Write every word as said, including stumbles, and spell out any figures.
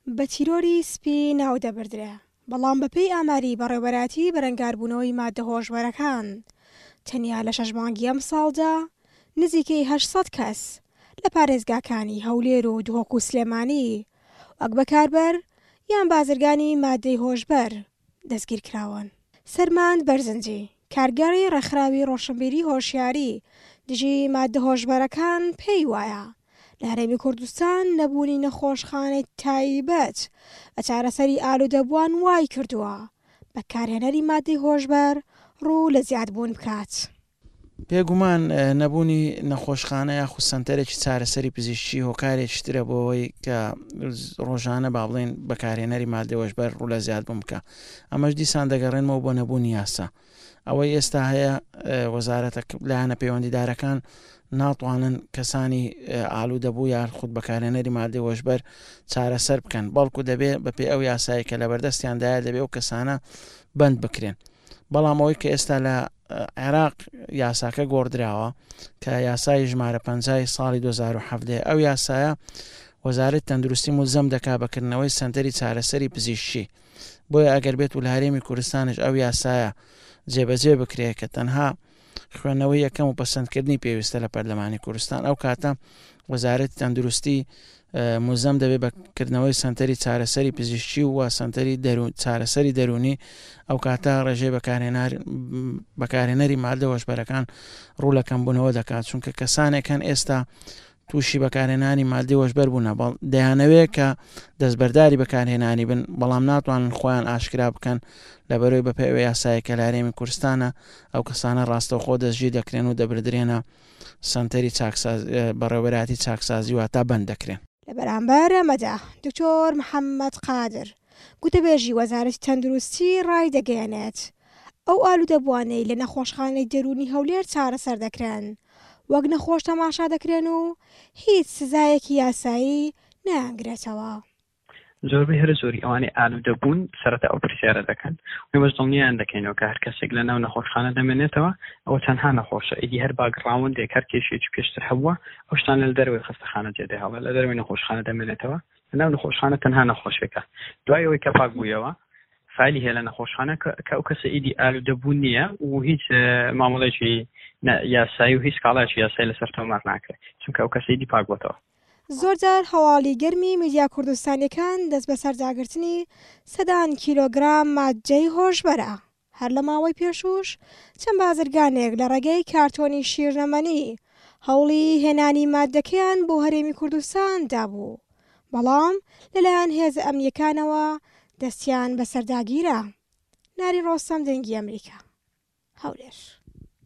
بە تیرۆری سپی ناودەبردرێ، بەڵام بەپێی ئاماری بەڕێوەبەرایەتی بەرەنگاربوونەوەی ماددە هۆشبەرەکان تەنیا لە شەش مانگی ئەمساڵدا نزیکەی هەشت سەد کەس لە پارێزگاکانی هەولێر و دهۆک و سلێمانی وەک بەکاربەر یان بازرگانی ماددەی هۆشبەر دەستگیرکراون. سەرماند بەرزنجی، کارگێڕی ڕێکخراوی ڕۆشنبیری هۆشیاری دژی ماددە هۆشبەرەکان پێی وایە لە هەرێمی کوردستان نەبوونی نەخۆشخانەی تایبەت بە چارەسەری ئالوودەبووان وای کردووە بەکارهێنەری ماددەی هۆشبەر ڕوو لە زیادبوون بکات. بێگومان نەبوونی نەخۆشخانە یاخود سەنتەرێکی چارەسەری پزیشکی هۆکارێکی ترە بۆ ئەوەی کە ڕۆژانە با بڵێن بەکارهێنەری ماددەی هۆشبەر ڕوو لە زیادبوون بکە. ئەمەش دیسان دەگەڕێنمەوە بۆ نەبوونی یاسا. ئەوەی ئێستا هەیە وەزارەتە لایەنە پەیوەندیدارەکان ناتوانن کەسانی ئالوودەبوو یان خود بەکارهێنەری مادەی هۆشبەر چارەسەر بکەن، بەڵکو دەبێ بەپێی ئەو یاسایی کە لەبەردەستیاندایە دەبێ ئەو کەسانە بەند بکرێن. بەڵام ئەوەی کە ئێستا لە عێراق یاساکە گۆڕدراوە کە یاسای ژمارە پەنجای ساڵی دوو هەزار و حەڤدە، ئەو یاسایە وەزارەتی تەندروستی ملزەم دەکا بەکردنەوەی سەنتەری چارەسەری پزیشکی. بۆیە ئەگەر بێت و لە هەرێمی کوردستانش ئەو یاسایە جێبەجێ بکرێت کە تەنها خوێندنەوەی یەکەم و پەسەندکردنی پێویستە لە پەرلەمانی کوردستان، ئەو کاتە وەزارەتی تەندروستی ملزەم دەبێت بە کردنەوەی سەنتەری چارەسەری پزیشکی و سەنتەری چارەسەری دەرونی. ئەو کاتە ڕێژەی بەکارهێنەری مادە هۆشبەرەکان ڕوو لە کەمبوونەوە دەکات، چونکە کەسانێک هەن ئێستا تووشی بەکارهێنانی مادەی هۆشبەر بوونە، دەیانەوێت کە دەستبەرداری بەکارهێنانی بن، بەڵام ناتوانن خۆیان ئاشکرا بکەن لەبەرەوەی بەپێی ئەو یاسایە کە لە هەرێمی کوردستانە ئەو کەسانە ڕاستەوخۆ دەستگیر دەکرێن و دەبردرێنە سەنتەری بەڕێوەبەرایەتی چاکسازی واتا بەند دەکرێن. لە بەرامبەر ئەمەدا دکتۆر محەممەد قادر گوتەبێژی وەزارەتی تەندروستی ڕایدەگەیەنێت ئەو ئالوودەبووانەی لە نەخۆشخانەی دەروونی هەولێر چارەسەر دەکرێن وەک نەخۆش تەماشا دەکرێن و هیچ سزایەکی یاسایی نایانگرێتەوە. زۆربەی هەرە زۆری ئەوانەی ئالوودەبوون سەرەتا ئەو پرسیارە دەکەن. ئێمەش دڵنیایان دەکەینەوە کە هەر کەسێک لە ناو نەخۆشخانە دەمێنێتەوە ئەوە تەنها نەخۆشە، ئیدی هەر باگڕاوندێک هەر کێشێکی پێشتر هەبووە ئەو شتانە لە دەرەوەی خەستەخانە جێدەهێڵێ، لە دەرەوەی نەخۆشخانە دەمێنێتەوە. لە ناو نەخۆشخانە تەنها نەخۆشێکە. دوای ئەوەی کە پاک بوویەوە فایلی هەیە لە نەخۆشخانە کە ئەو کەسە ئیدی ئالوودەبوون نییە و هیچ مامەڵێکی یاسایی و هیچ کاڵایەکی یاسایی لەسەر تۆمار ناکرێت، چونکە ئەو کەسە ئیدی پاک بۆتەوە. زۆرجار هەواڵی گەرمی میدیا کوردستانیەکان دەست بەسەرداگرتنی سەدان کیلۆگرام مادەی هۆشبەرە. هەر لە ماوەی پێشوش چەند بازرگانێک لە ڕێگەی کارتۆنی شیرنەمەنی هەوڵی هێنانی مادەکەیان بۆ هەرێمی کوردستان دابوو، بەڵام لەلایەن هێزە ئەمنیەکانەوە دەستیان بەسەرداگیرا. ناری ڕۆستەم، دەنگی ئەمریکا، هەولێر.